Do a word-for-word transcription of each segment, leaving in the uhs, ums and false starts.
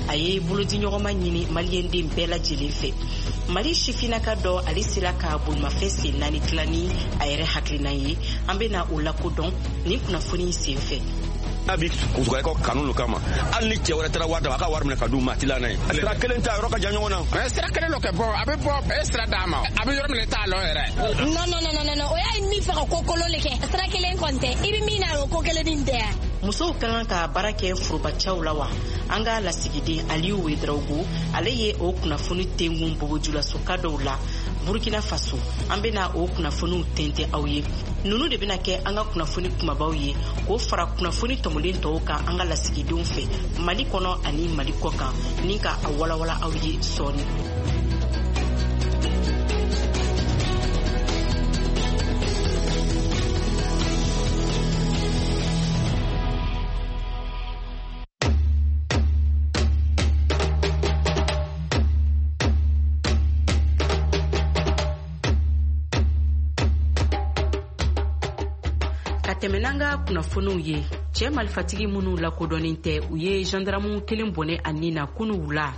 A ye bolodiɲɔgɔnma ɲini maliyɛnden bɛɛ lajɛlen fɛ. Mali sifinnaka dɔ, ale sera ka bolimafɛn sen naani dilan ni a yɛrɛ hakilina ye. An bɛna o lakodɔn nin kunnafoni sen fɛ. A bi kusukaw kanu kama, hali ni cɛ wɛrɛ taara wari d'a ma, a ka wari minɛ ka d'u ma, a ti la n'a ye. Sira kelen ta yɔrɔ ka jan ɲɔgɔn na. Sira kelen dɔ kɛ bɔ, a bɛ bɔ, e sira d'a ma, a bɛ yɔrɔ min t'a lɔ yɛrɛ. Non non non non, o y'a ye min fɛ ka ko kolon de kɛ. Sira kelen kɔni tɛ, i bɛ min na o ko kelen nin tɛ yan. Musow ka kan ka baara kɛ forobacɛw la wa? An ka lasigiden Aliyu Wedraogo, ale ye o kunnafoni tengun bobojulasoka dɔw la Burkina Faso. An bɛna o kunnafoniw tɛntɛn aw ye. Ninnu de bɛna kɛ an ka kunnafoni kumabaw ye k'o fara kunnafoni tɔmɔlen tɔw kan an ka lasigidenw fɛ Mali kɔnɔ ani Mali kɔ kan, ni ka a walawala aw ye sɔɔni. Tɛmɛ n'an ka kunnafoniw ye. Cɛ marifatigi minnu lakodɔnnen tɛ, u ye gendarme kelen bɔnɛ a nin na kunu wula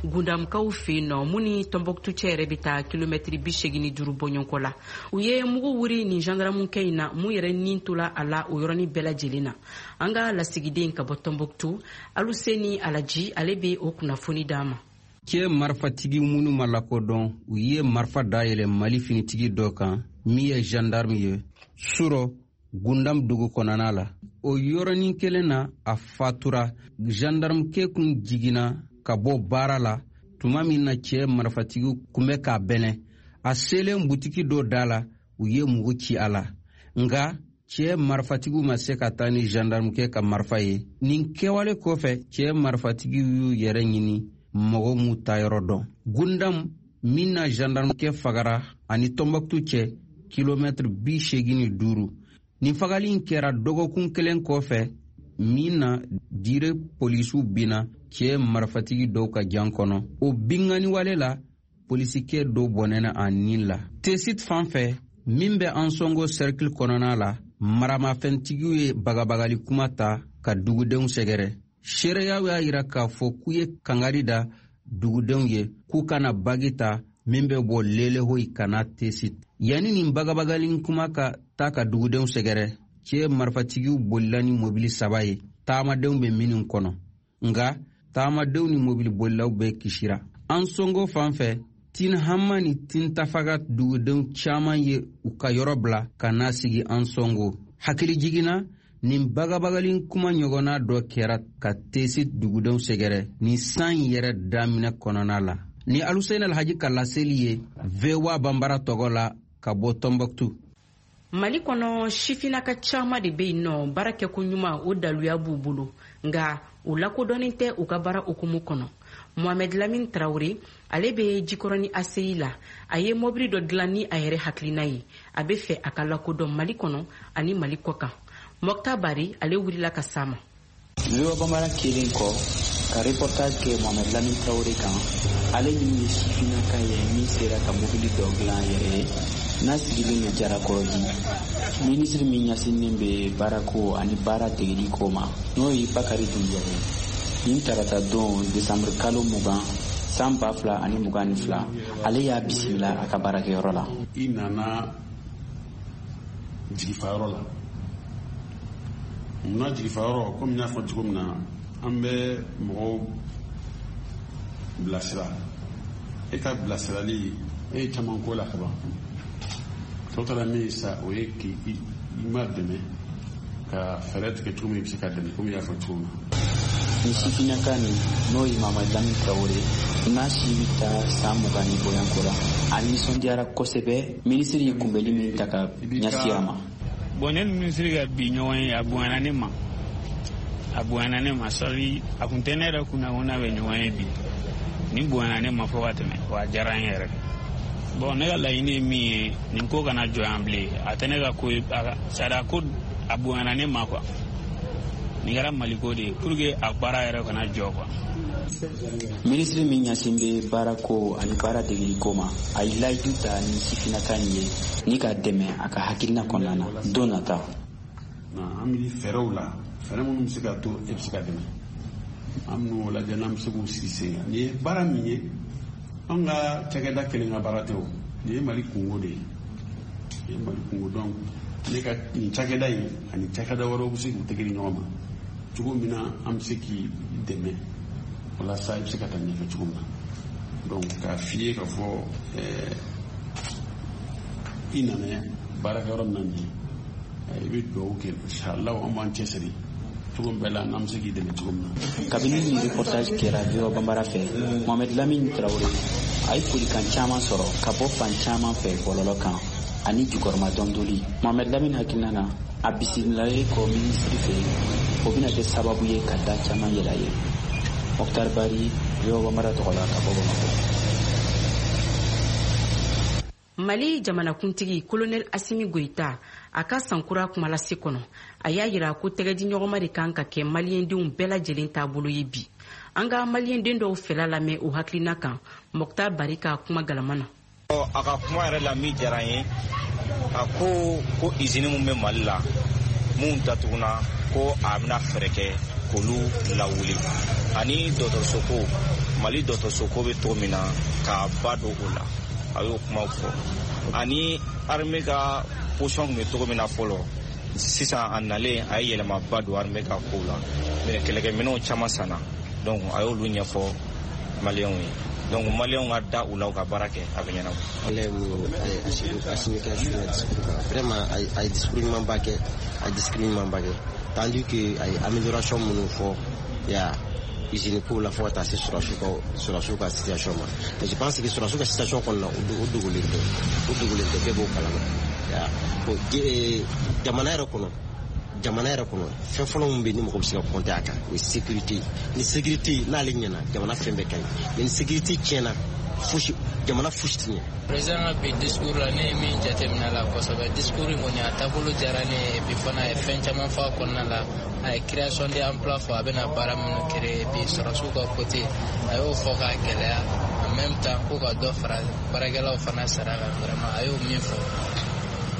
Gundamukaw fɛ yen nɔ, mun ni Tɔnbɔkutu cɛ yɛrɛ bɛ taa kilomɛtiri bi seegin ni duuru bɔɲɔgɔnko la. U ye mugu wuri nin gendarme kɛ in na, mun yɛrɛ nin tola a la o yɔrɔnin bɛɛ lajɛlen na. An ka lasigiden ka bɔ Tɔnbɔkutu, Aluseni Alaji, ale bɛ o kunnafoni d'an ma. Cɛ marifatigi minnu ma lakodɔn, u ye marifa dayɛlɛ Mali finitigi dɔ kan min ye gendarme ye surɔ Gundam dugu kɔnɔna la. O yɔrɔnin kelen na a fatura. Gendarmekɛ kun jiginna ka bɔ baara la tuma min na cɛ marifatigiw kun bɛ k'a bɛnɛ. A selen butiki dɔ da la, u ye mugu ci a la, nka cɛ marifatigiw ma se ka taa ni gendarmekɛ ka marifa ye. Nin kɛwale kɔfɛ, cɛ marifatigiw y'u yɛrɛ ɲini mɔgɔ m'u taayɔrɔ dɔn. Gundam min na gendarmekɛ fagara ani Tɔnbɔkutu cɛ kilomɛtiri bi seegin ni duuru. Nin fagali in kɛra dɔgɔkun kelen kɔfɛ min na dire polisiw binna cɛ marifatigi dɔw ka jan kɔnɔ. O binkanniwale la, polisikɛ dɔw bɔnɛna a nin la. Tesit fan fɛ min bɛ Ansongo cercle kɔnɔna la, maramafɛntigiw ye bagabagali kuma ta ka dugudenw sɛgɛrɛ. Seereyaw y'a yira k'a fɔ k'u ye kangari da dugudenw ye k'u kana bagi ta min bɛ bɔ Lelehoyi ka na Tesit. Yanni nin bagabagali kuma ka taa ka dugudenw sɛgɛrɛ, cɛ marifatigiw bolila ni mobili saba ye taamadenw bɛ minnu kɔnɔ, nka taamadenw ni mobili bolilaw bɛɛ kisira. Ansongo fan fɛ, Tinhama ni Tintafaga dugudenw caman ye u ka yɔrɔ bila ka na sigi Ansongo. Hakili jiginna, nin bagabagali kuma ɲɔgɔnna dɔ kɛra ka Tesit dugudenw sɛgɛrɛ nin san yɛrɛ daminɛ kɔnɔna la. Ni Aluseni Alhaji ka laseli ye V O A Banbara tɔgɔ la ka bɔ Tɔnbɔkutu. Mali kɔnɔ, sifinnaka caman de bɛ yen nɔ, baara kɛko ɲuman o daluya b'u bolo, nka u lakodɔnnen tɛ u ka baara hukumu kɔnɔ. Mohamed Lamine Traoré, ale bɛ Jikɔrɔni A C I la. A ye mobili dɔ dilan ni a yɛrɛ hakilina ye. A bɛ fɛ a ka lakodɔn Mali kɔnɔ ani Mali kɔ kan. Mɔkta Bari, ale wulila ka s'a ma. V O A Banbara kelen kɔ ka reportage kɛ Mohamed Lamine Traoré kan, ale min ye sifinnaka ye min sera ka mobili dɔ dilan yɛrɛ ye n'a sigilen bɛ Jarakɔrɔji. Minisiri min ɲɛsinnen bɛ baarako ani baara degeli ko ma, n'o ye Bakari Dunbiya ye, nin tarata don desanburu kalo mugan san ba fila ani mugan ni fila, ale y'a bisimila a ka baarakɛyɔrɔ la. I nana jigifayɔrɔ la. Munna jigifayɔrɔ? Komi n y'a fɔ cogo min na, an bɛ mɔgɔw bilasira. E ka bilasirali, e ye caman ko la kaban. Tɔ taara min ye sa, o ye k'i ma dɛmɛ ka fɛɛrɛ tigɛ cogo min i bɛ se ka dɛmɛ, komi i y'a fɔ cogo min na. Ni sifinnaka nin, n'o ye Mohamed Lamine Traoré, n'a si bɛ taa san mugan ni bɔɲɔgɔnko la, a nisɔndiyara kosɛbɛ minisiri ye kunbɛli min ta ka ɲɛsin a ma. Bon, ne ni minisiri ka bi ɲɔgɔn ye, a bonyana ne ma. A bonyana ne ma sari, a kun tɛ ne yɛrɛ kunna ko n'a bɛ ɲɔgɔn ye bi. Nin bonyana ne ma fo ka tɛmɛ, wa a diyara n yɛrɛ. Bon, ne ka laɲini ye min ye, nin ko kana jɔ yan bilen. A tɛ ne ka ko ye, a ko a bonyana ne ma quoi. Nin kɛra Maliko de ye pour que a baara yɛrɛ kana jɔ quoi. Minisiri min ɲɛsin bɛ baarako ani baara degeliko ma, a ye layidu ta ni sifinnaka in ye ni k'a dɛmɛ a ka hakilina kɔnɔna na don nata. An bɛ fɛɛrɛw la, fɛɛrɛ minnu bɛ se ka to e bɛ se ka dɛmɛ. An bɛn'o lajɛ n'an bɛ se k'u sigi sen kan. Nin ye baara min ye, an ka cakɛda kelen ka baara tɛ o. Nin ye Mali kungo de ye. Nin ye Mali kungo, donc ne ka nin cakɛda in ani cakɛda wɛrɛw bɛ se k'u tɛgɛ di ɲɔgɔn ma cogo min na an bɛ se k'i dɛmɛ walasa i bɛ se ka taa ɲɛfɛ cogo min na. Donc k'a f'i ye k'a fɔ ɛɛ i nana baarakɛyɔrɔ min na nin ye, i bɛ dugawu kɛ, inshallah an b'an cɛsiri cogo bɛɛ la n'an bɛ se k'i dɛmɛ cogo min na. Kabini nin reportage kɛra V O A Bambara fɛ, Mohamed Lamine Traoré a ye folikan caman sɔrɔ ka bɔ fan caman fɛ bɔlɔlɔ kan ani jukɔrɔma dɔndoli. Mohamed Lamine hakilina na, a bisimilalen kɔ minisiri fɛ, o bɛna kɛ sababu ye ka da caman yɛlɛ a ye. Mokhtar Bari, V O A Bambara tɔgɔ la ka bɔ Bamakɔ. Mali jamanakuntigi Colonel Assimi Goïta a ka sankura kumalase kɔnɔ, a y'a yira ko tɛgɛdiɲɔgɔnma de kan ka kɛ maliyɛndenw bɛɛ lajɛlen taabolo ye bi. An ka maliyɛnden dɔw fɛla lamɛn o hakilina kan Mokhtar Bari ka kuma galama na. A ka kuma yɛrɛ la min diyara n ye, a ko ko izini mun bɛ Mali la mun datuguna, ko a bɛna fɛɛrɛ kɛ k'olu lawuli, ani dɔgɔtɔrɔso ko, Mali dɔgɔtɔrɔso ko bɛ cogo min na k'a ba don o la, a y'o kumaw fɔ. Ani armée ka position tun bɛ cogo min na fɔlɔ, sisan a nalen a ye yɛlɛmaba don armée ka kow la, mais kɛlɛkɛminɛnw caman sanna, donc a y'olu ɲɛfɔ maliyɛnw ye. Donc maliyɛnw ka da u la u ka baara kɛ, a bɛ ɲɛnabɔ. Ale ye mun ye Assimi ka discours kan, vraiment a ye discours ɲumanba kɛ, a ye discours ɲumanba kɛ, tandis que a ye amélioration minnu fɔ ya usine ko la fo ka taa se sɔrɔsiw ka sɔrɔsiw ka situation ma. Mais je pense que sɔrɔsiw ka situation kɔnɔna o dogolen tɛ, o dogolen tɛ, bɛɛ b'o kalama. Ya bon, jamana yɛrɛ kɔnɔ, jamana yɛrɛ kɔnɔ fɛn fɔlɔ min bɛ yen ni mɔgɔ bɛ se ka compter a kan, o ye sécurité. Ni sécurité n'ale ɲɛna, jamana fɛn bɛɛ ka ɲi, mais ni sécurité tiɲɛna, fosi jamana fosi tɛ ɲɛ. Président ka bi discours la, ne ye min jateminɛ a la kosɛbɛ, discours in kɔni a taabolo diyara ne ye, et puis fana a ye fɛn caman fɔ a kɔnɔna la. A ye création d'emploi fɔ, a bɛna baara minnu créer, et puis sɔrɔsiw ka côté a y'o fɔ k'a gɛlɛya, en même temps ko ka dɔ fara baarakɛlaw fana sara kan, vraiment a y'o min fɔ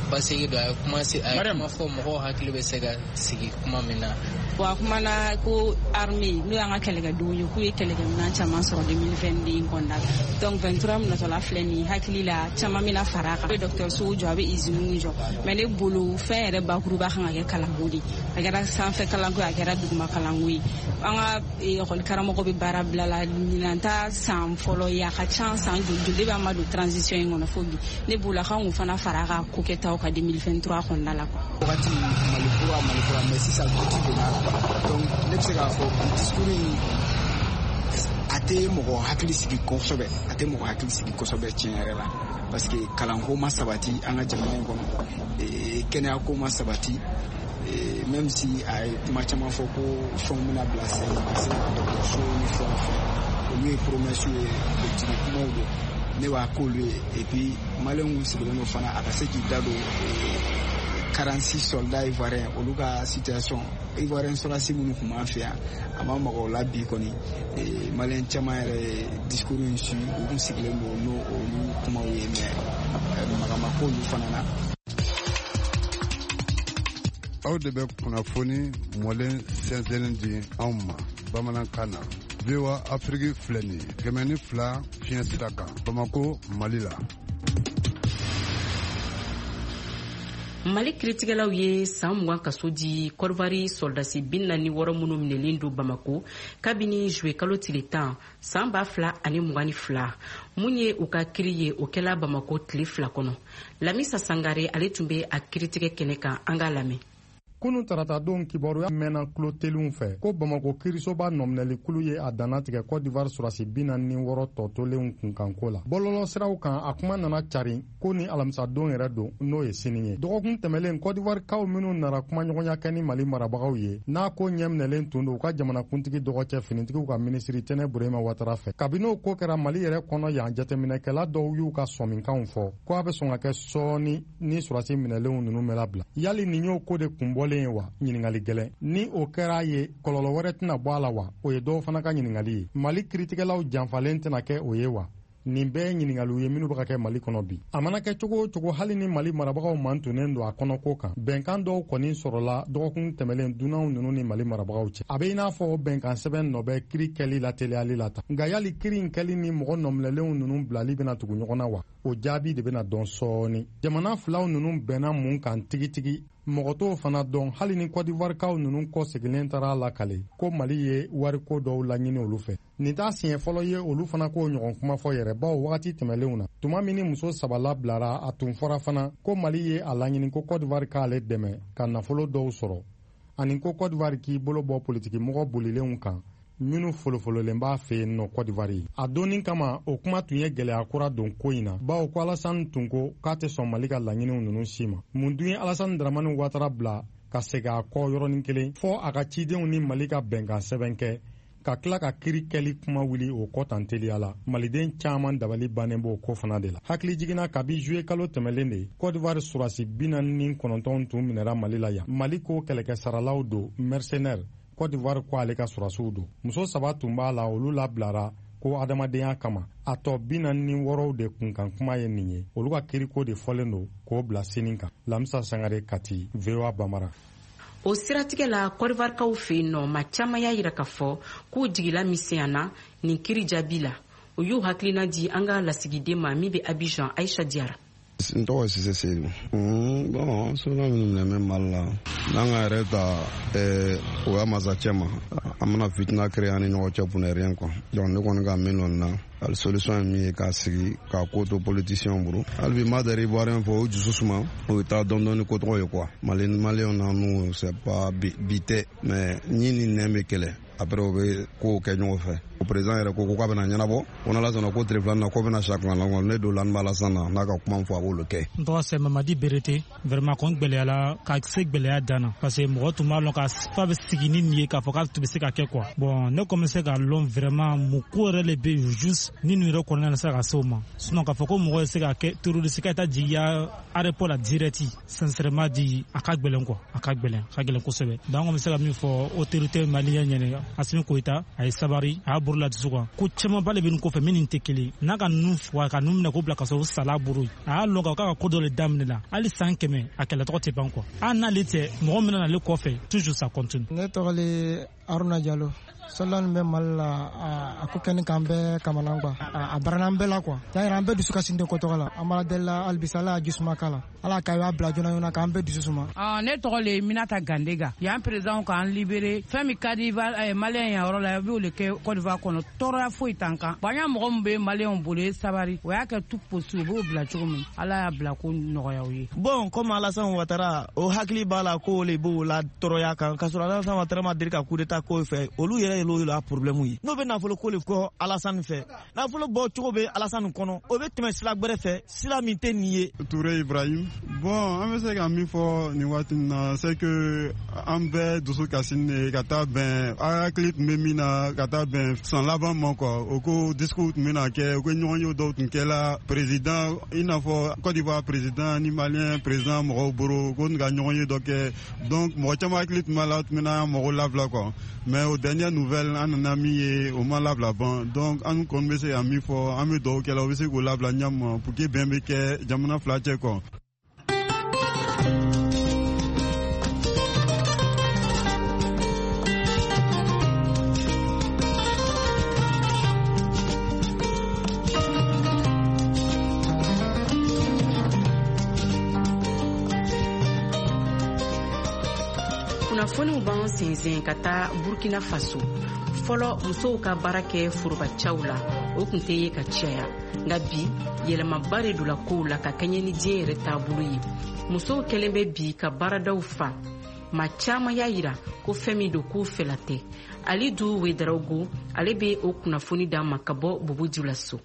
basigi don, a ye kuma a ye kuma fɔ mɔgɔw hakili bɛ se ka sigi kuma min na. Bon, a kumana ko armée n'o y'an ka kɛlɛkɛdenw ye, k'u ye kɛlɛkɛminɛn caman sɔrɔ deux mille vingt-deux in kɔnɔna la. Donc vingt-trois min natɔla filɛ nin ye, hakili la caman bɛna fara a kan. A bɛ dɔgɔtɔrɔsow jɔ, a bɛ usines jɔ, mais ne bolo fɛn yɛrɛ bakuruba kan ka kɛ kalanko de. A kɛra sanfɛ kalanko ye, a kɛra duguma kalanko ye. An ka ekɔli karamɔgɔ bɛ baara bila la, ɲinan ta san fɔlɔ ye, a ka ca san joli joli de b'an ma don transition in kɔnɔ fo bi. Ne bolo a kan k'o fana fara a ka ko kɛtaw kan deux mille vingt-trois kɔnɔna la quoi. Wagati Mali kura Mali kura, mais sisan doute donna a la. Donc ne bɛ se k'a fɔ bi discours in a tɛ mɔgɔ hakili sigi kosɛbɛ, a tɛ mɔgɔ hakili sigi kosɛbɛ tiɲɛ yɛrɛ la, parce que kalanko ma sabati an ka jamana in kɔnɔ, kɛnɛyako ma sabati, même si a ye kuma caman fɔ ko fɛnw bɛna bila sen kan, ka se ka dɔgɔtɔrɔso ni fɛnw fɛ, olu ye promesse ye, politique kumaw don, ne b'a k'olu ye. Et puis maliyɛnw sigilen don fana a ka se k'i da don quarante-six soldats ivoiriens olu ka situation, ivoirien sɔrɔdasi minnu tun b'an fɛ yan, a ma maga o la bi kɔni. Maliyɛn caman yɛrɛ ye discours in su, u kun sigilen don n'o olu kumaw ye, mais maga ma k'olu fana na. Aw de bɛ kunnafoni mɔlen sɛnsɛnnen di anw ma bamanankan na. V O A Afrique filɛ nin ye kɛmɛ ni fila fiɲɛ sira kan Bamako, Mali la. Mali kiritigɛlaw ye san mugan kaso di Kɔdiwari sɔrɔdasi bi naani wɔɔrɔ minnu minɛlen don Bamako kabini juwe kalo tile tan san ba fila ani mugan ni fila. Mun ye u ka kiri ye, o kɛla Bamako tile fila kɔnɔ. Lamisa Sangare ale tun bɛ a kiritigɛ kɛnɛ kan, an k'a lamɛn. Kunu taratadon kibaruya mɛnna kulo telinw fɛ ko Bamako kirisoba nɔminɛlikulu ye a dannatigɛ Côte d'Ivoire sɔrɔdasi bi naani ni wɔɔrɔ tɔ tolenw kunkanko la. Bɔlɔlɔ siraw kan a kuma nana cari ko ni alamisadon yɛrɛ don, n'o ye sini ye. Dɔgɔkun tɛmɛlen Côte d'Ivoire kaw minnu nana kumaɲɔgɔnya kɛ ni Mali marabagaw ye, n'a ko ɲɛminɛlen tun don u ka jamanakuntigi dɔgɔcɛ finitigiw ka minisiri Tɛnɛ Burema Watara fɛ. Kabini o ko kɛra Mali yɛrɛ kɔnɔ yan, jateminɛkɛla dɔw y'u ka sɔminkanw fɔ ko a bɛ sɔn ka kɛ sɔɔni ni sɔrɔdasi minɛlenw ninnu bɛ labila. Yali nin y'o ko de kun bɔlen ye wa? Ɲininkali gɛlɛn. Ni o kɛra ye, kɔlɔlɔ wɛrɛ tɛna bɔ a la wa? O ye dɔw fana ka ɲininkali ye. Mali kiritigɛlaw janfalen tɛna kɛ o ye wa? Nin bɛɛ ye ɲininkaliw ye minnu bɛ ka kɛ Mali kɔnɔ bi. A mana kɛ cogo o cogo, hali ni Mali marabagaw mantonnen don a kɔnɔko kan, bɛnkan dɔw kɔni sɔrɔla dɔgɔkun tɛmɛlen dunanw ninnu ni Mali marabagaw cɛ. A bɛ i n'a fɔ o bɛnkan sɛbɛn nɔ bɛ kiri kɛli lateliyali la tan. Nka yali kiri in kɛli ni mɔgɔ nɔminɛlenw ninnu bilali bɛna tugu ɲɔgɔn na wa? O jaabi de bɛna dɔn sɔɔni. Jamana filaw ninnu bɛnna mun kan tigitigi, mɔgɔ t'o fana dɔn, hali ni Côte d'Ivoirekaw ninnu kɔ seginnen taara lakale ko Mali ye wariko dɔw laɲini olu fɛ. Nin t'a siɲɛ fɔlɔ ye olu fana k'o ɲɔgɔn kuma fɔ yɛrɛ, bawo wagati tɛmɛlenw na, tuma min ni muso saba labilara, a tun fɔra fana ko Mali ye a laɲini ko Côte d'Ivoire k'ale dɛmɛ ka nafolo dɔw sɔrɔ, ani ko Côte d'Ivoire k'i bolo bɔ politikimɔgɔ bolilenw kan minnu folofololen b'a fɛ yen nɔ Côte d'Ivoire ye. A donni kama, o kuma tun ye gɛlɛya kura don ko in na, bawo ko Alassane tun ko k'a tɛ sɔn Mali ka laɲiniw ninnu si ma. Mun dun ye Alassane Dramane Ouattara bila ka segin a kɔ yɔrɔnin kelen fɔ a ka cidenw ni Mali ka bɛnkan sɛbɛn kɛ, ka tila ka kiri kɛli kuma wuli o kɔ tan teliya la? Maliden caman dabali bannen b'o ko fana de la. Hakili jiginna, kabi juillet kalo tɛmɛlen de, Côte d'Ivoire surasi bi naani ni kɔnɔntɔn tun minɛra Mali la yan. Mali ko kɛlɛkɛsaralaw don, mercenaire. Côte d'Ivoire ko ale ka surasiw don. Muso saba tun b'a la, olu labilara ko adamadenya kama. A tɔ bi naani ni wɔɔrɔw de kunkan kuma ye nin ye, olu ka kiriko de fɔlen don k'o bila sini kan. Lamisa Sangare, Kati, V O A Bambara. O siratigɛ la, Côte d'Ivoirekaw fɛ yen nɔ, maa caman y'a yira k'a fɔ k'u jigila misɛnyana nin kiri jaabi la. O y'u hakilina di an ka lasigiden ma min bɛ Abidjan, Aisha Diarra. N tɔgɔ ye Sise Seydou. Bon, sɔrɔla minnu minɛ bɛ Mali la, n'an ka yɛrɛ ta o y'a masacɛ ma, an mana fitina créer an ni ɲɔgɔn cɛ pour ne rien quoi. Donc ne kɔni ka min lɔn na, hali solution ye min ye k'a sigi k'a ko to politicien bolo. Hali bi n b'a dari Ivoirien fɔ, o dusu suma, o bɛ taa dɔɔni dɔɔni ko tɔgɔ ye quoi. Mali Maliyɛnw na n'u c'est pas bi tɛ, mais ɲin ni nɛn bɛ kɛlɛ. Après o bɛ kow kɛ ɲɔgɔn fɛ. O président yɛrɛ ko k'a bɛna ɲɛnabɔ, ko n'Ala sɔnna ko tile filanan na ko bɛna sa kuma la, ne don la n b'a la sisan na n'a ka kuma fɔ a b'olu kɛ. N tɔgɔ c'est Mamadi Berete. Vraiment kɔni gɛlɛyala ka se gɛlɛya dan na, parce que mɔgɔ tun b'a lɔn ka fa bɛ sigi ni nin ye k'a fɔ k'a tun bɛ se ka kɛ quoi. Bon, ne kɔni bɛ se k'a lɔn vraiment mun ko yɛrɛ de bɛ yen juste ni nin yɛrɛ kɔnɔna na se ka se o ma. Sinon k'a fɔ ko mɔgɔ bɛ se ka kɛ terroriste ka taa jigiya aéroport la direct, sincèrement dit, a ka gɛlɛn quoi, a ka gɛlɛn, a ka gɛlɛn kosɛbɛ. Donc an bɛ se ka min fɔ autorité malienne ɲɛna, Assimi Goïta a ye sabari, a y'a bolo la dusu kan. Ko camanba de bɛ nin kɔfɛ min nin tɛ kelen. N'a ka ninnu fɔ ka ninnu minɛ k'o bila ka sɔrɔ o sala bolo ye. A y'a lɔn k'a ka ko dɔ de daminɛ la. Hali san kɛmɛ a kɛlɛ tɔgɔ tɛ ban quoi. Hali n'ale tɛ mɔgɔ min nana ale kɔfɛ, toujours ça continue. Ne tɔgɔ le Aruna Jalo. Sɔlɔ nin bɛ Mali la, a ko kɛni k'an bɛɛ kamana quoi. A barana an bɛɛ la quoi. Y'a yira an bɛɛ dusu kasi den ko tɔgɔ la. An b'a deli la halisa Ala y'a jisuma k'a la. Ala k'a y'a bila joona joona k'an bɛɛ dusu suma. Ne tɔgɔ le Minata Gandega. Yan président k'an libéré. Fɛn min ka di Maliyɛn yan yɔrɔ la, i b'o de kɛ Côte d'Ivoire kɔnɔ. Tɔɔrɔya foyi t'an kan. Bon, an y'a mɔgɔ min bɛ Maliyɛnw bolo ye sabari. O y'a kɛ tout possible, u b'o bila cogo min. Ala y'a bila ko nɔgɔya u ye. Bon, comme Alassane Ouattara, o hakili b'a la ko le b'o la tɔɔrɔya kan. K'a sɔrɔ Alassane Ouattara ma deli ka coup d'état k'o fɛ. Olu yɛrɛ y'olu la problème ye. N'o bɛ nafolo ko le kɔ Alassane fɛ. Nafolo bɔ cogo bɛ Alassane kɔnɔ. O bɛ tɛmɛ sira gbɛrɛ fɛ, sira min tɛ nin ye. Touré Ibrahim. Bon, an bɛ se ka min fɔ nin waati in na, c'est que an bɛɛ dusu kasi ne ka taa bɛn hakili tun bɛ min na ka taa bɛn san laban ma quoi. O ko discours tun bɛna kɛ, o ko ɲɔgɔnye dɔw tun kɛla président, i n'a fɔ Côte d'Ivoire président ni Malien président mɔgɔw bolo ko ka ɲɔgɔnye dɔ kɛ. Donc mɔgɔ caman hakili tun b'a la, tun bɛna mɔgɔw labila quoi. Mais aux dernières nouvelles, an nana min ye, o ma labila ban. Donc an kɔni bɛ se ka min fɔ, an bɛ dugawu kɛ la, o bɛ se k'o labila ɲɛ ma pour que bɛn bɛ kɛ jamana fila cɛ quoi. Kunnafoniw b'an sensen ka taa Burkina Faso. Fɔlɔ, musow ka baara kɛ forobacaw la, o tun tɛ ye ka caya. Nka bi, yɛlɛmaba de donna kow la ka kɛɲɛ ni diɲɛ yɛrɛ taabolo ye. Musow kɛlen bɛ bi ka baaradaw fa. Maa caman y'a yira ko fɛn min don k'u fɛla tɛ. Alidu Wedarawogo, ale bɛ o kunnafoni d'an ma ka bɔ Bobo Dioulasso.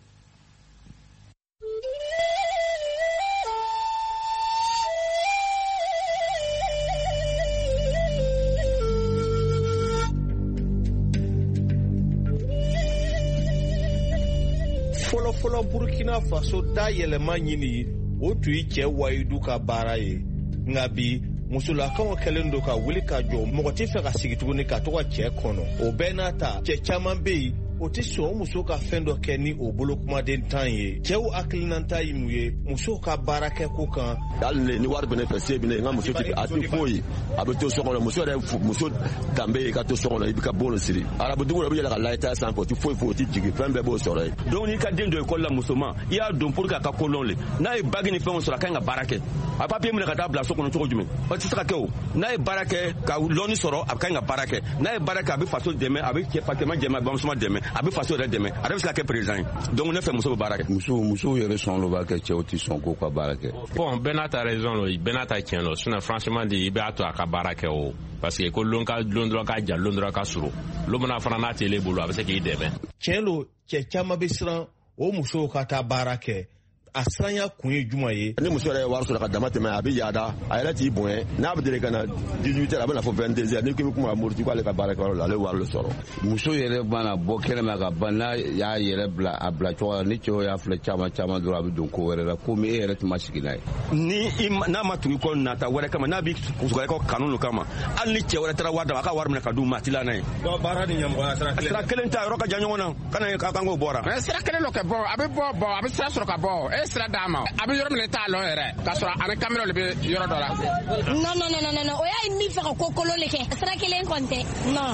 Fɔlɔfɔlɔ Burkina Faso da yɛlɛma ɲini, o tun ye cɛ wayidu ka baara ye. Nka bi, musolakaw kɛlen don ka wuli ka jɔ, mɔgɔ tɛ fɛ ka sigi tuguni ka to ka cɛ kɔnɔ. O bɛɛ n'a ta, cɛ caman bɛ yen, o tɛ sɔn o muso ka fɛn dɔ kɛ ni o bolokumaden tan ye. Cɛw hakilinata ye mun ye musow ka baarakɛ ko kan? Hali ni wari bɛ ne fɛ, se bɛ ne n ka muso tɛ a tɛ foyi, a bɛ to so kɔnɔ. Muso yɛrɛ muso danbe ye ka to so kɔnɔ, i bɛ ka bon siri. Arabu dugu la, u bɛ yɛlɛ ka layita sanfɛ, o tɛ foyi foyi, o tɛ jigin, fɛn bɛɛ b'o sɔrɔ yen. Donc n'i ka den don ekɔli la musoman, i y'a don pour que a ka ko lɔn le. N'a ye bague ni fɛnw sɔrɔ, a ka ɲi ka baara kɛ. A papier minɛ ka taa bila so kɔnɔ cogo jumɛn? O tɛ se ka kɛ o. N'a ye baara kɛ ka lɔnni sɔrɔ, a ka ɲi ka baara kɛ. N'a ye baara kɛ, a bɛ faso dɛmɛ, a bɛ cɛ fakɛma dɛmɛ, a bɛ bamuso dɛmɛ, a bɛ faso yɛrɛ dɛmɛ, a yɛrɛ bɛ se ka kɛ président ye. Donc ne fɛ muso bɛ baara kɛ. Musow musow yɛrɛ sɔn lo b'a kɛ, cɛw tɛ sɔn k'u ka baara kɛ. Bon, bɛɛ n'a ta raison lo, bɛɛ n'a ta tiɲɛ lo. Sinon franchement dit, i b'a to a ka baara kɛ o. Parce que ko lon ka lon dɔrɔn ka jan, lon dɔrɔn ka surun. Lon mana fana n'a t'ele bolo, a bɛ se k'i dɛmɛ. Tiɲɛ lo, cɛ caman bɛ siran o musow ka taa baara kɛ. A siranya kun ye jumɛn ye? Ni muso yɛrɛ ye wari sɔrɔ ka dama tɛmɛ, a bɛ yaada, a yɛrɛ t'i bonya. N'a bɛ deli ka na dix-huit heures, a bɛ na fɔ vingt-deux heures. N'i ko i bɛ kuma a muruti k'ale ka baarakɛyɔrɔ la, ale wari de sɔrɔ. Muso yɛrɛ mana bɔ kɛnɛma ka ban, n'a y'a yɛrɛ bila a bila cogo la, ni cɛw y'a filɛ caman caman dɔrɔn, a bɛ don ko wɛrɛ la, komi e yɛrɛ tun ma sigi n'a ye. Ni i n'a ma tugu i kɔ nata wɛrɛ kama, n'a b'i wɛrɛ kɔ kanu lo kama, hali ni cɛ wɛrɛ taara wari d'a ma, a ka wari minɛ ka d'u ma, a t'i la n'a ye. Donc baara ni ɲɛmɔgɔya sira kelen. Sira kelen t'a yɔrɔ ka jan ɲɔgɔn na, kana k'a kan k'o bɔra. Mais sira kelen lo kɛ bɔ, a bɛ bɔ bɔ, a bɛ sira sɔrɔ ka bɔ. E sira d'a ma, a bɛ yɔrɔ min na i t'a lɔn yɛrɛ, k'a sɔrɔ ani kamera de bɛ yɔrɔ dɔ la. Non non non non non, o y'a ye min fɛ ka ko kolon de kɛ. Sira kelen kɔni tɛ. Non.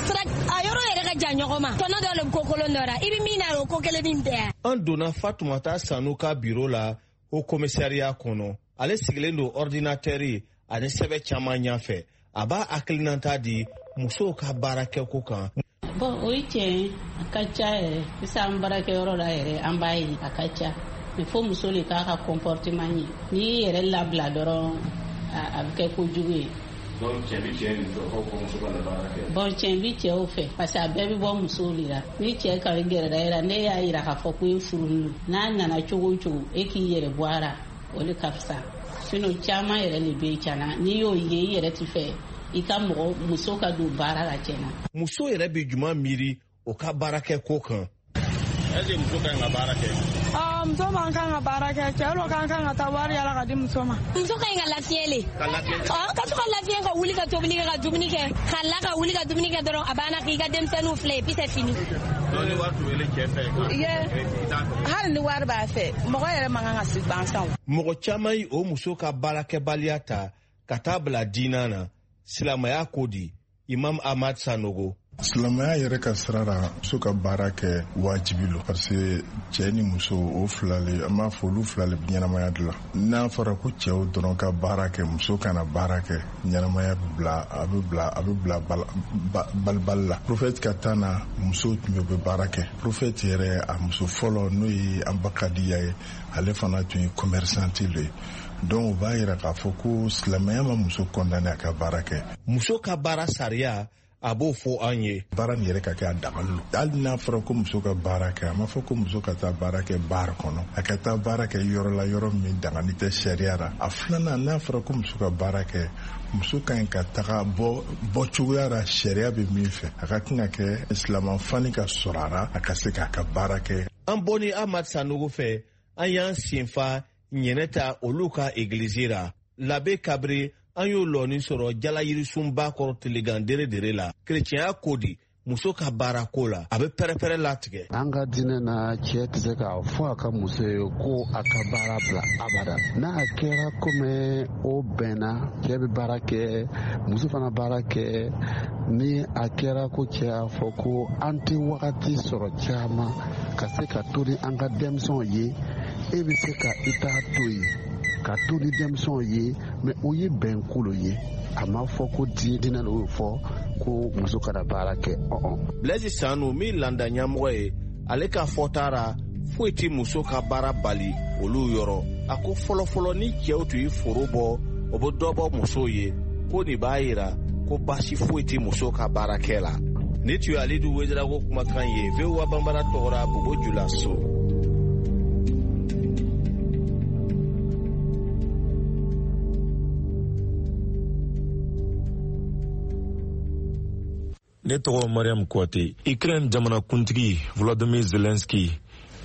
Sira a yɔrɔ yɛrɛ ka jan ɲɔgɔn ma. Tɔnɔ dɔ le bɛ ko kolon dɔ la. I bɛ min na o ko kelen nin tɛ. An donna Fatumata Sanu ka biro la o commissariat kɔnɔ. Ale sigilen don ordinateur ani sɛbɛn caman ɲɛfɛ. A b'a hakilinata di musow ka baarakɛko kan. Bon, o ye tiɲɛ ye, a ka ca yɛrɛ. Sisan an baarakɛyɔrɔ la yɛrɛ, an b'a ye a ka ca. Mais fo muso le k'a ka comportement ɲɛ. N'i y'i yɛrɛ labila dɔrɔn, a bɛ kɛ kojugu ye. Donc cɛ bɛ cɛ nin fɛ ko muso ka na baara kɛ. Bon, cɛ bi cɛw fɛ parce que a bɛɛ bɛ bɔ musow de la. Ni cɛ ka gɛrɛla e la, ne y'a yira k'a fɔ ko e furulen don. N'a nana cogo o cogo, e k'i yɛrɛ bɔ a la, o de ka fisa. Sinon caman yɛrɛ de bɛ yen tiɲɛna, n'i y'o ye i yɛrɛ ti fɛ i ka mɔgɔ muso ka don baara la tiɲɛna. Muso yɛrɛ bɛ jumɛn miiri o ka baarakɛ ko kan? Est-ce que muso ka ɲi ka baara kɛ? Muso man kan ka baara kɛ, cɛ lo kan kan ka taa wari yala ka di muso ma. Muso ka ɲi ka lafiɲɛ le. Ka lafiɲɛ. Ɔ ka to ka lafiɲɛ ka wuli ka tobili kɛ ka dumuni kɛ, ka la ka wuli ka dumuni kɛ dɔrɔn a banna k'i ka denmisɛnninw filɛ et puis c'est fini. Donc ni wari tun bɛ cɛ fɛ. Ye hali ni wari b'a fɛ, mɔgɔ yɛrɛ man kan ka sigi gansan. Mɔgɔ caman ye o muso ka baarakɛbaliya ta ka taa bila diinɛ na. Silamɛya ko di? Imam Ahmad Sanogo. Silamɛya yɛrɛ ka sira la, muso ka baara kɛ wajibi lo, parce que cɛ ni muso o fila le, an b'a fɔ olu fila le bɛ ɲɛnamaya dilan. N'a fɔra ko cɛw dɔrɔn ka baara kɛ, muso kana baara kɛ, ɲɛnamaya bɛ bila, a bɛ bila, a bɛ bila balibali la. Prophète ka taa na, musow tun bɛ bɛ baara kɛ. Prophète yɛrɛ a muso fɔlɔ n'o ye Anbakadiya ye, ale fana tun ye commerçante le ye. Donc o b'a yira k'a fɔ ko silamɛya ma muso condamné a ka baara kɛ. Muso ka baara sariya a b'o fɔ an ye. Baara nin yɛrɛ ka kɛ a dabali lo. Hali n'a fɔra ko muso ka baara kɛ, a ma fɔ ko muso ka taa baara kɛ baara kɔnɔ, a ka taa baara kɛ yɔrɔ la, yɔrɔ min dangani tɛ sariya la. A filanan, n'a fɔra ko muso ka baara kɛ, muso ka ɲi ka taga bɔ bɔ cogoya la sariya bɛ min fɛ, a ka kan ka kɛ silamɛfani ka sɔrɔ a la, a ka se k'a ka baara kɛ. An bɔ ni Ahmad Sanogo fɛ, an y'an senfa ɲɛnɛ ta olu ka egilizi la. Labe Kabiri, an y'o lɔni sɔrɔ jalayirisunba kɔrɔ tilegan dere dere la. Kerecɛnya ko di muso ka baara ko la, a bɛ pɛrɛpɛrɛ latigɛ. An ka diinɛ na, cɛ tɛ se k'a fɔ a ka muso ye ko a ka baara bila abada. N'a kɛra komi o bɛnna, cɛ bɛ baara kɛ, muso fana baara kɛ. Ni a kɛra ko cɛ y'a fɔ ko an tɛ wagati sɔrɔ caman ka se ka to ni an ka denmisɛnw ye, e bɛ se ka i ta to yen ka to ni denmisɛnw ye, mɛ o ye bɛnkolo ye. A ma fɔ ko diinɛ y'o fɔ ko muso kana baara kɛ. Ɔn. Blaise Sanu min landa ɲɛmɔgɔ ye, ale ka fɔta ra foyi tɛ muso ka baara bali olu yɔrɔ. A ko fɔlɔfɔlɔ ni cɛw tun ye foro bɔ, o bɛ dɔ bɔ musow ye, ko nin b'a yira ko baasi foyi tɛ muso ka baarakɛ la. Ni tun ye Alidu Wedrago kumakan ye V O A Banbara tɔgɔra Bobo Julaso. Ne tɔgɔ Mariam Kouate. Ukraine jamanakuntigi Volodymyr Zelensky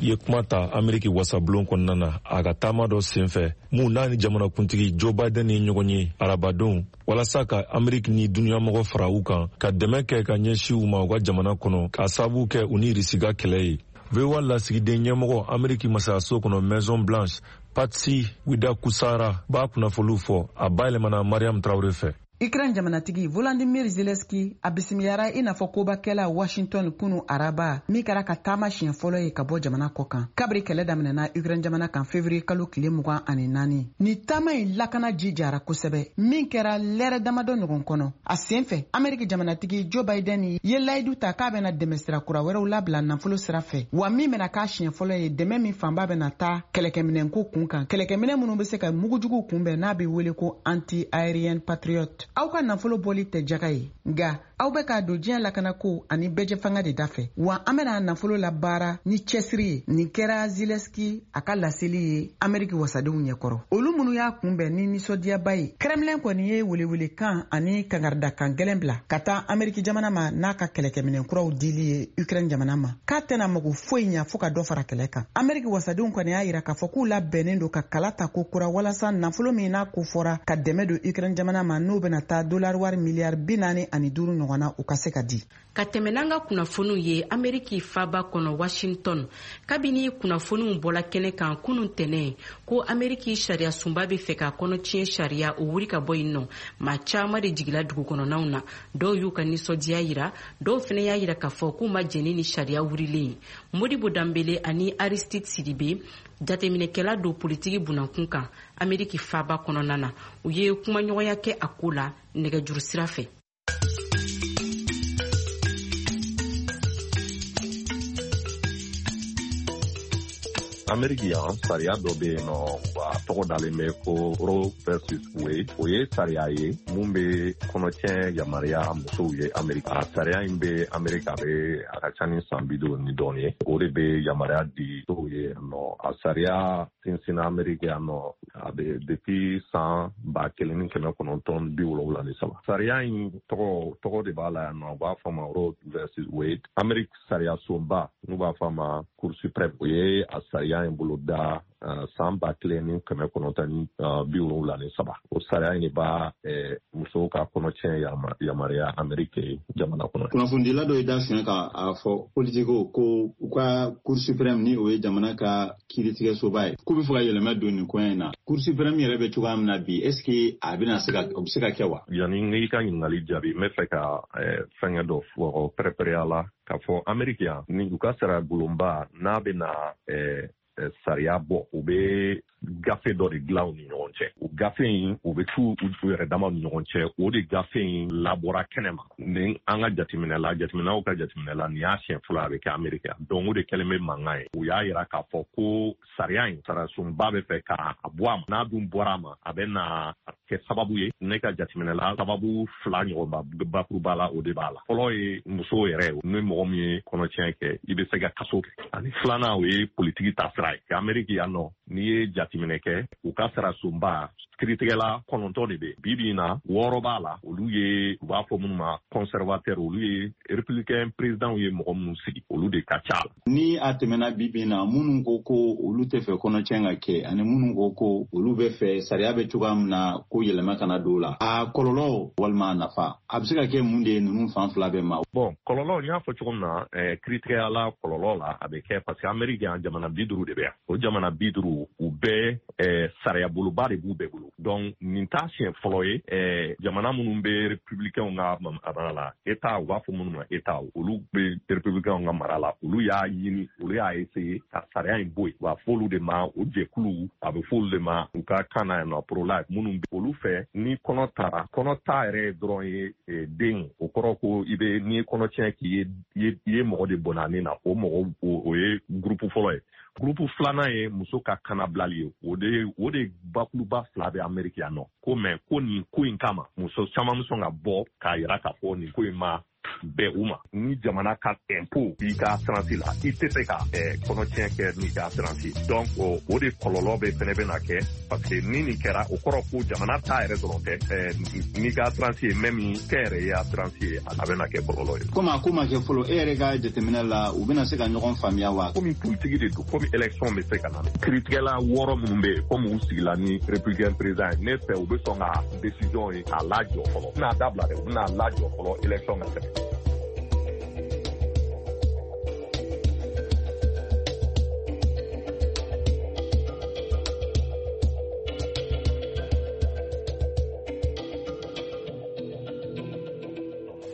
ye kuma ta Ameriki wasabulon kɔnɔna na a ka taama dɔ senfɛ mun n'a ni jamanakuntigi Joe Biden ye ɲɔgɔn ye arabadon walasa ka Ameriki ni duniyamɔgɔ fara u kan ka dɛmɛ kɛ ka ɲɛsin u ma u ka jamana kɔnɔ k'a sababu kɛ u ni Irisi ka kɛlɛ ye. V O A lasigiden ɲɛmɔgɔ Ameriki masayaso kɔnɔ Maison Blanche Patsy Widakusara b'a kunnafoniw fɔ a bayɛlɛmana Mariam Traoré fɛ. Ukraine jamanatigi Volodymyr Zelensky a bisimilara i n'a fɔ kobakɛla Washington kunu araba min kɛra ka taama siɲɛ fɔlɔ ye ka bɔ jamana kɔ kan kabiri kɛlɛ daminɛna Ukraine jamana kan février kalo tile mugan ani naani. Ni taama in lakana jijara kosɛbɛ min kɛra lɛrɛ damadɔ ɲɔgɔn kɔnɔ. A sen fɛ Ameriki jamanatigi Joe Biden ye layidu ta k'a bɛna dɛmɛ sira kura wɛrɛw labila nafolo sira fɛ, wa min bɛna k'a siɲɛ fɔlɔ ye dɛmɛ min fanba bɛna taa kɛlɛkɛminɛnko kun kan, kɛlɛkɛminɛ minnu bɛ se ka mugujuguw kunbɛn n'a bɛ wele ko anti-aérien Patriot. Aw ka nafolo bɔli tɛ jaga ye, nka aw bɛ k'a don diɲɛ lakanako ani bɛɛjɛfanga de dafɛ, wa an bɛna nafolo labaara ni cɛsiri ye. Nin kɛra Zelensky a ka laseli ye Ameriki wasadenw ɲɛkɔrɔ, olu minnu y'a kunbɛn ni nisɔndiyaba ye. Kremlin kɔni ye welewelekan ani kangaridakan gɛlɛn bila ka taa Ameriki jamana ma n'a ka kɛlɛkɛminɛn kuraw dili ye Ukraine jamana ma, k'a tɛna mago foyi ɲa fo ka dɔ fara kɛlɛ kan. Ameriki wasadenw kɔni y'a yira k'a fɔ k'u labɛnnen don ka kala ta ko kura walasa nafolo min n'a ko fɔra ka dɛmɛ don Ukraine jamana ma n'o bɛna taa dollar wari miliyari bi naani ani duuru ɲɔgɔn na, u ka se ka di. Ka tɛmɛ n'an ka kunnafoniw ye Ameriki faba kɔnɔ Washington, kabini kunnafoniw bɔla kɛnɛ kan kunun tɛnɛ ko Ameriki sariya sunba bɛ fɛ ka kɔnɔtiɲɛ sariya o wuri ka bɔ yen nɔ, maa caman de jigila dugu kɔnɔnaw na. Dɔw y'u ka nisɔndiya yira, dɔw fana y'a yira k'a fɔ k'u ma jɛni ni sariya wurilen ye. Modibo Danbele ani Aristide Sidibe, jateminɛkɛla don politiki bunankun kan Ameriki faba kɔnɔna na, u ye kumaɲɔgɔnya kɛ a ko la nɛgɛjuru sira fɛ. Ameriki yan sariya dɔ bɛ yen nɔ, a tɔgɔ dalen bɛ ko Roe versus Wade. O ye sariya ye mun bɛ kɔnɔtiɲɛ yamaruya musow ye Ameriki. A sariya in bɛ Ameriki, a bɛ a ka ca ni san bi duuru ni dɔɔnin ye. O de bɛ yamaruya di musow ye nɔ. A sariya sinsinna Ameriki yan nɔ a bɛ depuis san ba kelen ni kɛmɛ kɔnɔntɔn bi wolonwula ni saba. Sariya in tɔgɔ tɔgɔ de b'a la yan nɔ, u b'a fɔ a ma Roe versus Wade. Ameriki sariya sunba n'u b'a fɔ a ma Cour suprême, o ye a sariya in bolo da uh, san ba kelen ni kɛmɛ kɔnɔntɔn ni uh, bi wolonwula ni saba. O sariya in de b'a eh, musow ka kɔnɔtiɲɛ yamaruya Ameriki jamana kɔnɔ. Kunnafonidila dɔ ye da fiɲɛ ka a fɔ politiko ko u ka Cour suprême ni o ye jamana ka kiiritigɛsoba ye, k'u bɛ fɛ ka yɛlɛma don nin koɲɛ in na. Cour suprême yɛrɛ bɛ cogoya min na bi, est ce que a bɛna se ka o bɛ se ka kɛ wa? Yanni n ka ɲininkali jaabi, n bɛ fɛ ka eh, fɛnkɛ dɔ fɔ pɛrɛpɛrɛya la k'a fɔ Ameriki yan ni u ka sariya bulonba n'a bɛ na eh, sariya bɔ, u bɛ gafe dɔ de dilan u ni ɲɔgɔn cɛ. O gafe in u bɛ t'u u yɛrɛ damaw ni ɲɔgɔn cɛ. O de gafe in labɔra kɛnɛ ma. Ni an ka jateminɛ la, jateminɛw ka jateminɛ la, nin y'a siɲɛ fɔlɔ a bɛ kɛ Ameriki yan. Donc o de kɛlen bɛ mankan ye. U y'a yira k'a fɔ ko sariya in sariyasunba bɛ fɛ k'a bɔ a ma. N'a dun bɔra a ma, a bɛ na kɛ sababu ye. Ne ka jateminɛ la, sababu fila ɲɔgɔn bakuruba la, o de b'a la. Fɔlɔ ye musow yɛrɛ, ni mɔgɔ min ye kɔnɔtiɲɛ kɛ, i bɛ se ka kaso kɛ. Ani filanan, o ye politiki taasira ye. Ameriki yan nɔ, n'i ye jateminɛ kɛ, u ka sariyasunba kiiritigɛla kɔnɔntɔn de bɛ bi bi in na, wɔɔrɔ b'a la. Olu ye u b'a fɔ minnu ma conservateur, olu ye républicain président ye mɔgɔ minnu sigi, olu de ka ca la. Ni a tɛmɛna bi bi in na, minnu ko ko olu tɛ fɛ kɔnɔtiɲɛ ka kɛ ani minnu ko ko olu bɛ fɛ sariya bɛ cogoya min na ko yɛlɛma kana don o la, a kɔlɔlɔ walima a nafa a bɛ se ka kɛ mun de ye ninnu fan fila bɛɛ ma? Bon, kɔlɔlɔ n y'a fɔ cogo min na, eh, kiiritigɛla kɔlɔlɔ la a bɛ kɛ parce que Ameriki yan jamana bi duuru de bɛ yan. O jamana bi duuru u bɛɛ eh, sariya boloba de b'u bɛɛ bolo. Donc nin t'a siɲɛ fɔlɔ ye eh, jamana minnu bɛ républicainw ka mara la, État u b'a fɔ minnu ma État, olu bɛ républicainw ka mara la, olu y'a ɲini, olu y'a essayer ka sariya in bɔ yen. U b'a fɔ olu de ma o jɛkulu, a bɛ fɔ olu de ma u ka kan na yan nɔ pro-life, minnu bɛ olu fɛ ni kɔnɔ taara, kɔnɔ ta yɛrɛ dɔrɔn ye den, o kɔrɔ ko i bɛ n'i ye kɔnɔtiɲɛ k'i ye i ye mɔgɔ de bɔnna ne na, o mɔgɔ o ye groupe fɔlɔ ye. Groupe filanan ye muso ka kanabilali ye. O de o de bakuruba fila bɛ Ameriki yan nɔ. Ko mɛ ko nin ko in kama muso caman bɛ sɔn ka bɔ k'a yira k'a fɔ nin ko in ma bɛn u ma. Ni jamana ka impôt b'i ka assurance la, i tɛ se ka kɔnɔtiɲɛ kɛ n'i ka assurance ye. Donc o de kɔlɔlɔ bɛ fɛnɛ bɛna kɛ, parce que ni nin kɛra, o kɔrɔ ko jamana ta yɛrɛ dɔrɔn tɛ, n'i ka assurance ye même kɛnyɛrɛye assurance ye, a bɛna kɛ kɔlɔlɔ ye. Komi a ko ma kɛ fɔlɔ, e yɛrɛ ka jateminɛ la, u bɛna se ka ɲɔgɔn faamuya wa? Komi politiki de don, komi élection bɛ se ka na, kiiritigɛla wɔɔrɔ minnu bɛ yen, komi u sigila ni républicain président ye, ne fɛ u bɛ sɔn ka décision ye k'a lajɔ fɔlɔ. U bɛna dabila dɛ, u bɛna lajɔ fɔlɔ élection ka tɛmɛ.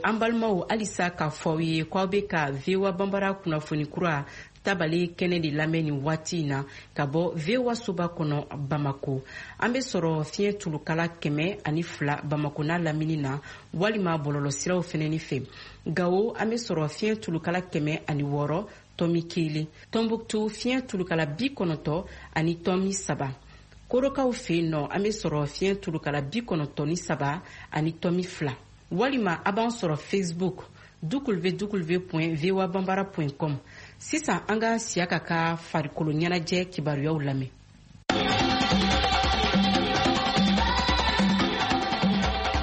An balimaw, halisa k'a fɔ aw ye k'aw bɛ ka V O A Banbara kunnafoni kura tabale kɛnɛ de lamɛn nin waati in na ka bɔ V O A soba kɔnɔ Bamako. An bɛ sɔrɔ fiɲɛ tulukala kɛmɛ ani fila Bamako n'a lamini na, walima bɔlɔlɔsiraw fɛnɛni fɛ. Gawo, an bɛ sɔrɔ fiɲɛ tulukala kɛmɛ ani wɔɔrɔ tɔmi kelen. Tɔnbuktu, fiɲɛ tulukala bi kɔnɔntɔn ani tɔmi saba. Korokaw fɛ yen nɔ, an bɛ sɔrɔ fiɲɛ tulukala bi kɔnɔntɔn ni saba ani tɔmi fila. Walima a b'an sɔrɔ Facebook w w w point voa bambara point com. Sisan an ka Siyaka ka farikolo ɲɛnajɛ kibaruyaw lamɛn.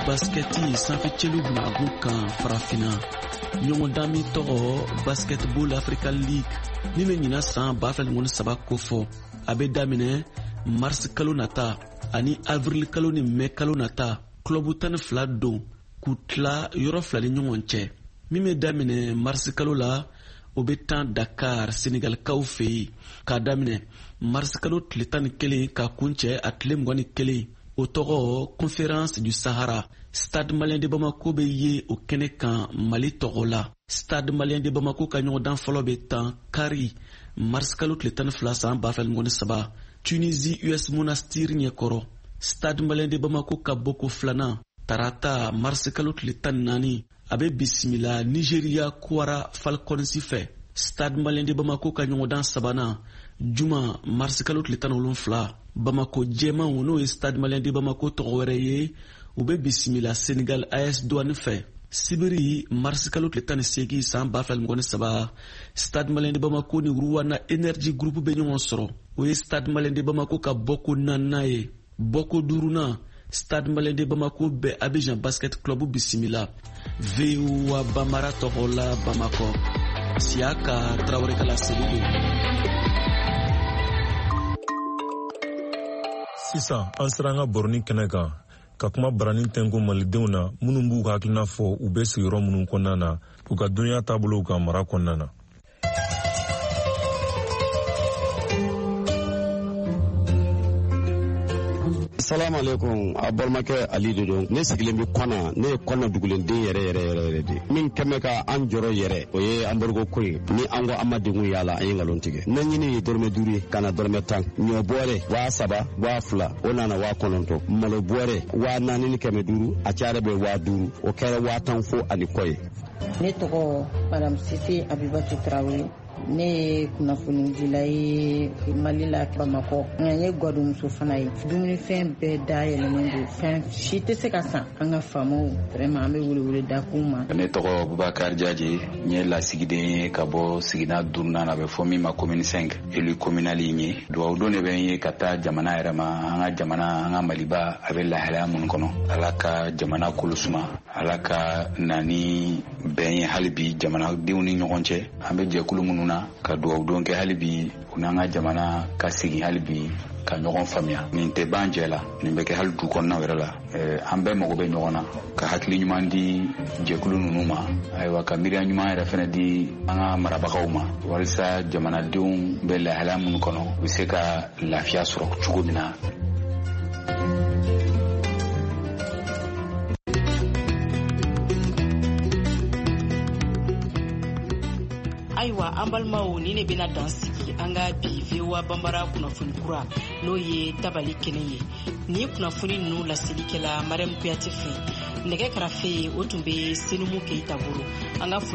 Baskɛti sanfɛcɛliw binagun kan farafinna ɲɔgɔndan min tɔgɔ Basketball Africa League min bɛ ɲinan san ba fila ni saba kofɔ, a bɛ daminɛ mars kalo nata ani avril kalo ni mɛ kalo nata. Club tan ni fila don k'u tila yɔrɔ fila ni ɲɔgɔn cɛ. Min bɛ daminɛ marisi kalo la, o bɛ tan Dakar Senegalikaw fɛ yen k'a daminɛ marisi kalo tile tan ni kelen k'a kuncɛ a tile mugan ni kelen. O tɔgɔ Conférence du Sahara. Stade Malien de Bamako bɛ ye o kɛnɛ kan Mali tɔgɔ la. Stade Malien de Bamako ka ɲɔgɔndan fɔlɔ bɛ tan kari marisi kalo tile tan ni fila san ba fila ni mugan ni saba Tunisie U S Monastir ɲɛkɔrɔ. Stade Malien de Bamako ka bɔko filanan tarata marisi kalo tile tan ni naani, a bɛ bisimila Nigeria Kwara Falcons fɛ. Stade Malien de Bamako ka ɲɔgɔndan sabanan juma marisi kalo tile tan ni wolonfila, Bamako jɛmanw n'o ye Stade Malien de Bamako tɔgɔ wɛrɛ ye, u bɛ bisimila Senegal A S Douane fɛ. Sibiri marisi kalo tile tan ni seegin san ba fila ni mugan ni saba, Stade Malien de Bamako ni Rwanda Energy Group bɛ ɲɔgɔn sɔrɔ. O ye Stade Malien de Bamako ka bɔko naaninan ye. Bɔko duurunan, Stade Malien de Bamako bɛ Abidjan Basket Club bisimila. V O A Bambara tɔgɔ la Bamakɔ, Siyaka Tarawele ka laseli don. Sisan an sera an ka baroni kɛnɛ kan ka kuma baranin tɛnku malidenw na minnu b'u ka hakilina fɔ u bɛ sigiyɔrɔ minnu kɔnɔna na, u ka dunuya taabolow kan mara kɔnɔna na. Salamu alaikum, a balimakɛ Ali de don. Ne sigilen bɛ Kɔna, ne ye Kɔna dugulenden yɛrɛ yɛrɛ yɛrɛ yɛrɛ de. Min kɛmɛ ka an jɔrɔ yɛrɛ, o ye embargo ko ye. Ni an ko an ma degun y'a la, an ye nkalon tigɛ. Ne ɲini ye dɔrɔmɛ duuru ye, ka na dɔrɔmɛ tan. Ɲɔ bɔrɛ waa saba, waa fila, o nana waa kɔnɔntɔn. Malo bɔrɛ waa naani ni kɛmɛ duuru, a cayara bɛ waa duuru, o kɛra waa tan fo ani kɔ ye. Ne tɔgɔ Madame Sise Abibatu Tarawele. Ne ye kunnafonidila ye Mali la Bamakɔ. Nka n ye gwadonmuso fana ye. Dumunifɛn bɛɛ dayɛlɛnnen don, fɛn si tɛ se ka san. An ka faamaw vraiment an bɛ welewele da k'u ma. Ne tɔgɔ Bubakar Jaje, n ye lasigiden ye ka bɔ sigida duurunan na, a bɛ fɔ min ma commune cinq, élu communal in ye. Duwawu don de bɛ n ye ka taa jamana yɛrɛ ma, an ka jamana, an ka Maliba a bɛ lahalaya minnu kɔnɔ. Ala ka jamana kolo suma, Ala ka na ni bɛn ye hali bi jamanadenw ni ɲɔgɔn cɛ. An bɛ jɛkulu minnu na ka duwawu don kɛ hali bi u n'an ka jamana ka segin hali bi ka ɲɔgɔn faamuya. Nin tɛ ban jɛ la, nin bɛ kɛ hali du kɔnɔnaw yɛrɛ la. An bɛɛ mago bɛ ɲɔgɔn na, ka hakili ɲuman di jɛkulu ninnu ma, ayiwa ka miiriya ɲuman yɛrɛ fɛnɛ di an ka marabagaw ma, walisa jamanadenw bɛ lahalaya minnu kɔnɔ u bɛ se ka lafiya sɔrɔ cogo min na. Ayiwa an balimaw, ni ne bɛna dan sigi an ka bi V O A Banbara kunnafoni kura n'o ye tabali kɛnɛ ye. Nin kunnafoni ninnu laseli kɛla Mariam Kuyate fɛ. Nɛgɛ karafe o tun bɛ Senumu Keyita bolo. An ka foli